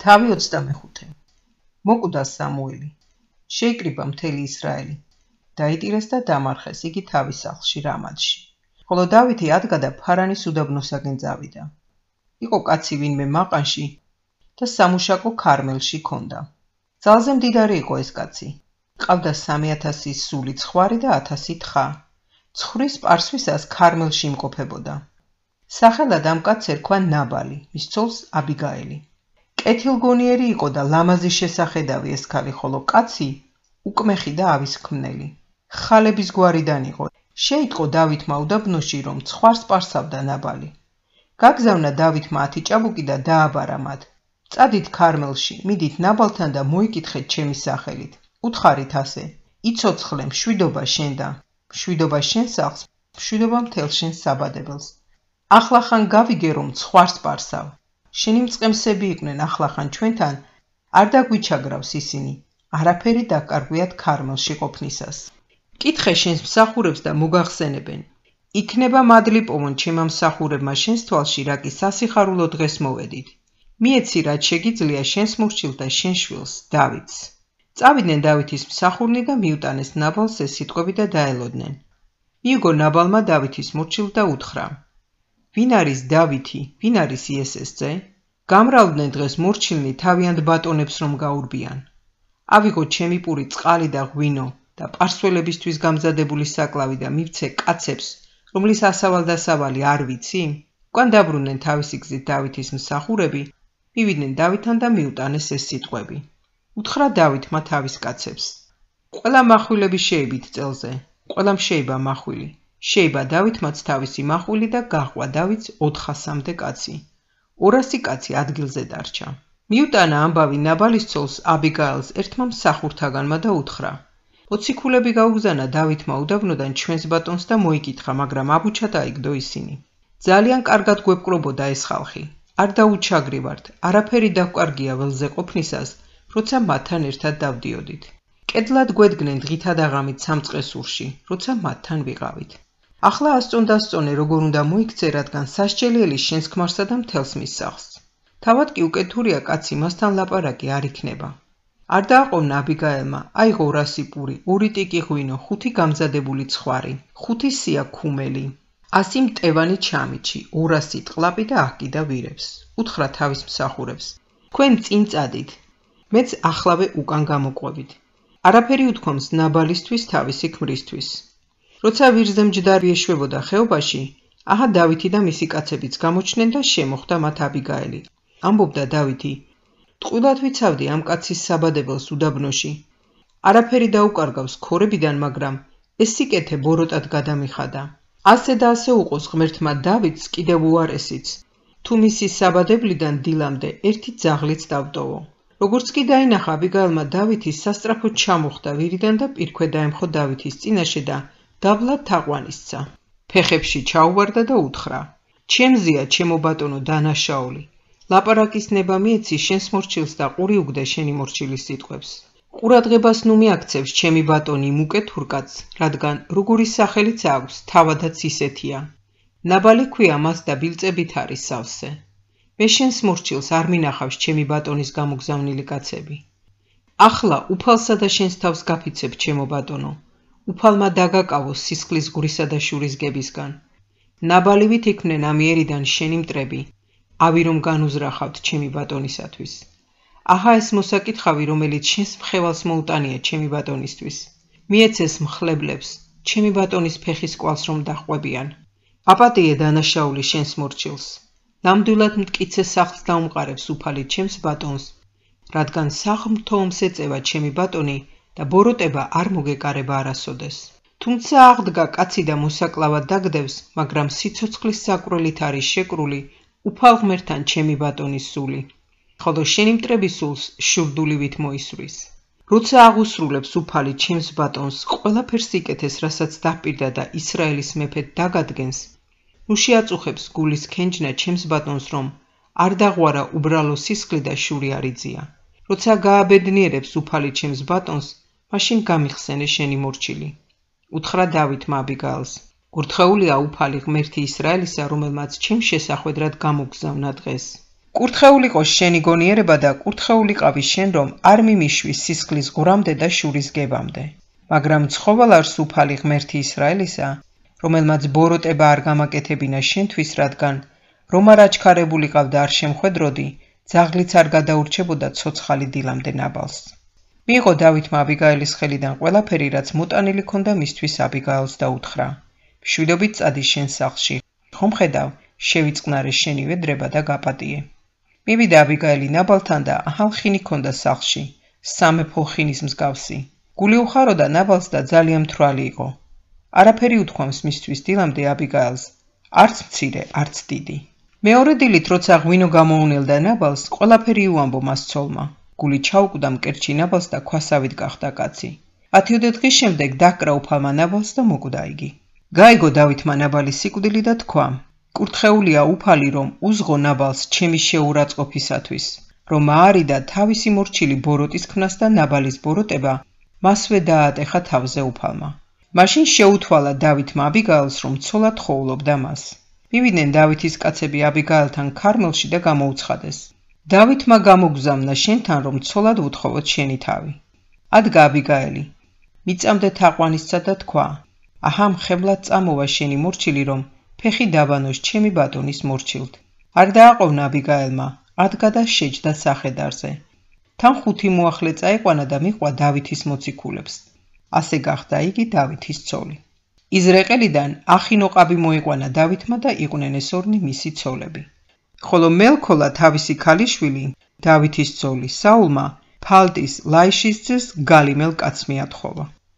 თავი 25. მოკვდა სამუელი. შეიკრიბა მთელი ისრაელი. დაიტირეს და დამარხეს იგი თავის სახლში რამადში. ხოლო დავითი ადგა და ფარანის უდაბნოსაკენ წავიდა. იყო კაცი ვინმე მაყანში და სამუშაკო ქარმელში ქონდა. ძალზე მდიდარი იყო ეს კაცი. ყავდა 3000 სული ცხვარი და 1000 თხა. ცხვრის პარსვისას ქარმელში იმყოფებოდა. სახელად ამ კაცს ერქვა ნაბალი, მის ცოლს აბიგაელი. კეთილგონიერი იყო და ლამაზი შესახედავი ეს ქალი, ხოლო კაცი უკმეხი და ავისქმნელი. ხალების გვარიდან იყო. შეიტყო დავითმა უდაბნოში, რომ ცხვარს პარსავდა ნაბალი. გაგზავნა დავითმა 10 ჭაბუკი და დააბარა მათ. წადით ქარმელში, მიდით ნაბალთან და მოიკითხეთ ჩემი სახელით. უთხარით ასე: იცოცხლე მშვიდობა შენ და მშვიდობა შენ სახლს, მშვიდობა მთელ შენ საბადებელს. ახლახან გავიგე რომ ცხვარს პარსავ. შენი მწყემსები იყვნენ ახლახან ჩვენთან, არ დაგვიჩაგრავს ისინი. არაფერი დაკარგვიათ ქარმელში ყოფნისას. კითხე შენს მსახურებს და მოგახსენებენ. იქნება მადლი პოვონ ჩემმა მსახურებმა შენს თვალში, რა კი სასიხარულო დღეს მოვედით. მიეცი რაც შეგიძლია შენს მორჩილს და შენ შვილს დავითს. წავიდნენ დავითის მსახურნი და მიუტანეს ნაბალს ეს სიტყვები და დაელოდნენ. მიიგო ნაბალმა დავითის მორჩილს და უთხრა: ვინ არის დავითი, ვინ არის იესეს ძე? გამრავლდნენ დღეს მორჩილნი თავიანთ ბატონებს რომ გაურბიან. ავიღო ჩემი პური წყალი და ღვინო და პარსველებისთვის გამზადებული საკლავი და მივცე კაცებს, რომლის ასავალ-დასავალი არ ვიცი? უკან დაბრუნდნენ თავისი გზით დავითის მსახურები, მივიდნენ დავითთან და მიუტანეს ეს სიტყვები. უთხრა დავითმა თავის კაცებს: ყველა מחვილები შეიბით წელზე, ყველამ შეიბა მახვილი. შეიბა დავითმაც თავისი მახვილი და გაჰყვა დავითს 400-მდე კაცი. 200 კაცი ადგილზე დარჩა. მიუტანა ამბავი ნაბალის ცოლს აბიგაელს ერთმა მსახურთაგანმა და უთხრა: მოციქულები გაუგზავნა დავითმა უდაბნოდან ჩვენს ბატონს და მოიკითხა, მაგრამ აბუჩა დაიგდო ისინი. ძალიან კარგად გვეპყრობოდა ეს ხალხი. არ დაუჩაგრივართ, არაფერი დაგვკარგია ველზე ყოფნისას, როცა მათთან ერთად დავდიოდით. კედლად გვედგნენ დღითა და ღამით სამწყესურში, როცა მათთან ვიყავით. ახლა ასწონდასწონე როგორ უნდა მოიქცე, რადგან სასჯელიელი შენს ქმარსა და მთელს მის სახლს. თავად კი უკეთურია კაცი მასთან ლაპარაკი არ იქნება. არ დააყოვნა აბიგაელმა, აიღო 200 პური, 2 ტიკი ღვინო, 5 გამზადებული ცხვარი, 5 სია ქუმელი, 100 მტევანი ჩამიჩი, 200 ტყლაპი და აჰკიდა ვირებს. უთხრა თავის მსახურებს: თქვენ წინ წადით, მეც ახლავე უკან გამოყვებით. არაფერი უთქვამს ნაბალისთვის თავისი ქმრისთვის. როცა ვირზე მჯდარი ეშვებოდა ხეობაში, აჰა დავითი და მისი კაცებიც გამოჩნდნენ და შემოხვდა მათ აბიგაელი. ამბობდა დავითი: ტყუილად ვიცავდი ამ კაცის საბადებელს უდაბნოში. არაფერი დაუკარგავს ქორებიდან, მაგრამ ეს სიკეთე ბოროტად გადამიხადა. ასე და ასე უყოს ღმერთმა დავითს კიდევ უარესიც, თუ მისი საბადებლიდან დილამდე ერთი ძაღლიც დავტოვო. როგორც კი დაინახა აბიგაელმა დავითი სასწრაფოდ ჩამოხდა ვირიდან და პირქვე დაემხო დავითის წინაშე და დაბლად თაყვანისცა. ფეხებში ჩაუვარდა და უთხრა: ჩემზეა ჩემო ბატონო დანაშაული. ლაპარაკის ნება მიეცი შენს მორჩილს და ყური უგდე შენი მორჩილის სიტყვებს. ყურადღებას ნუ მიაქცევს ჩემი ბატონი მუკეთურ კაცს, რადგან როგორი სახელიც აქვს, თავადაც ისეთია. ნაბალი ქვია მას და ბილწებით არის სავსე. მე შენს მორჩილს არ მინახავს ჩემი ბატონის გამოგზავნილი კაცები. ახლა უფალსა და შენს თავს გაფიცებ ჩემო ბატონო. უფალმა დაგაკავოს სისხლის გვრისა და შურის გებისგან. ნაბალივით იქმნენ ამიერიდან შენი მტრები, ავი რომ განუზრახავთ ჩემი ბატონისათვის. აჰა ეს მოსაკითხავი, რომელიც შენს მხევალს მოუტანია ჩემი ბატონისთვის. მიეცეს მხლებლებს, ჩემი ბატონის ფეხის კვალს რომ დაჰყვებიან. აპატიე დანაშაული შენს მორჩილს. ნამდვილად მტკიცე სახლს დაუმყარებს უფალი ჩემს ბატონს, რადგან საღმრთოომს ეწევა ჩემი ბატონი და ბოროტება არ მოგეკარება არასოდეს. თუმცა აღდგა კაცი და მოსაკლავად დაგდევს, მაგრამ სიცოცხლის საკვრელით არის შეკრული უფალ ღმერთთან ჩემი ბატონის სული, ხოლო შენი მტრების სულს შურდულივით მოისვრის. როცა აღუსრულებს უფალი ჩემს ბატონს ყველაფერს იკეთეს, რასაც დაპირდა და ისრაელის მეფედ დაგადგენს, ნუ შეაწუხებს გულის ქენჯნა ჩემს ბატონს, რომ არ დაღვარა უბრალო სისხლი და შური არ იწია. როცა გააბედნიერებს უფალი ჩემს ბატონს, მაშინ გამიხსენე შენი მორჩილი. უთხრა დავითმა აბიგაელს: გურთხეულია უფალი ღმერთი ისრაელისა, რომელმაც ჩემს შესახვედრად გამოგზავნა დღეს. კურთხეულიყო შენი გონიერება და კურთხეულიყავი შენ, რომ არ მიმიშვის სისხლის ღვრამდე და შურის გებამდე. მაგრამ ცხოველ არ სუფალი ღმერთი ისრაელისა, რომელმაც ბოროტება არ გამაკეთებინა შენთვის, რადგან რომ არ აჩქარებულიყავდა არ შემხვედროდი, ძაღლიც არ გადაურჩებოდა ცოცხალი დილამდე ნაბალს. მიიღო დავითმა აბიგაილის ხელიდან ყველაფერი, რაც მოტანილი ქონდა მისთვის აბიგაილს და უთხრა: მშვიდობით წადი შენ სახლში, ხომ ხედავ, შევიწყნარე შენი ვედრება და გაპატიე. მივიდა აბიგაილი ნაბალთან და ახალხინი ქონდა სახლში, სამეფო ხინის მსგავსი. გული უხაროდა ნაბალს და ძალიან მთვრალი იყო. არაფერი უთქვამს მისთვის დილამდე აბიგაილს, არც მცირე, არც დიდი. მეორე დილით, როცა ღვინო გამოუნელდა ნაბალს, ყველაფერი უამბო მას ცოლმა. გული ჩაუკვდა მკერჩი ნაბალს და ქვასავით გახდა კაცი. 10 დღის შემდეგ დაკრა უფალმა ნაბალს და მოკვდა იგი. გაიგო დავითმა ნაბალის სიკვდილი და თქვა: კურთხეულია უფალი, რომ უზღო ნაბალს ჩემი შეურაცხყოფისათვის, რომ აარიდა თავისი მორჩილი ბოროტის ქმნას და ნაბალის ბოროტება მასვე დაატეხა თავზე უფალმა. მაშინ შეუთვალა დავითმა აბიგაილს, რომ ცოლად ხოვლობდა მას. მივიდნენ დავითის კაცები აბიგაილთან ქარმელში და გამოუცხადეს: დავითმა გამოგზავნა შენთან, რომ ცოლად უთხოვოთ შენი თავი. ადგა აბიგაილი, მიწამდე თაყვანისცა და თქვა: აჰა, მხებლად წამოვა შენი მორჩილი, რომ ფეხი დაბანოს ჩემი ბატონის მორჩილთ. არ დააყოვნა აბიგაილმა, ადგა და შეჯდა სახედარზე. თან 5 მოახლე წაიყვანა და მიჰყვა დავითის მოციქულებს. ასე გახდა იგი დავითის ცოლი. იზრაელიდან ახინოყაბი მოიყვანა დავითმა და იყვნენ ეს ორნი მისი ცოლები. ხოლო მელქოლა თავისი ქალიშვილი, დავითის ცოლი საულმა, ფალტის ლაიშის ძეს გალიმელ კაცს მიათხოვა.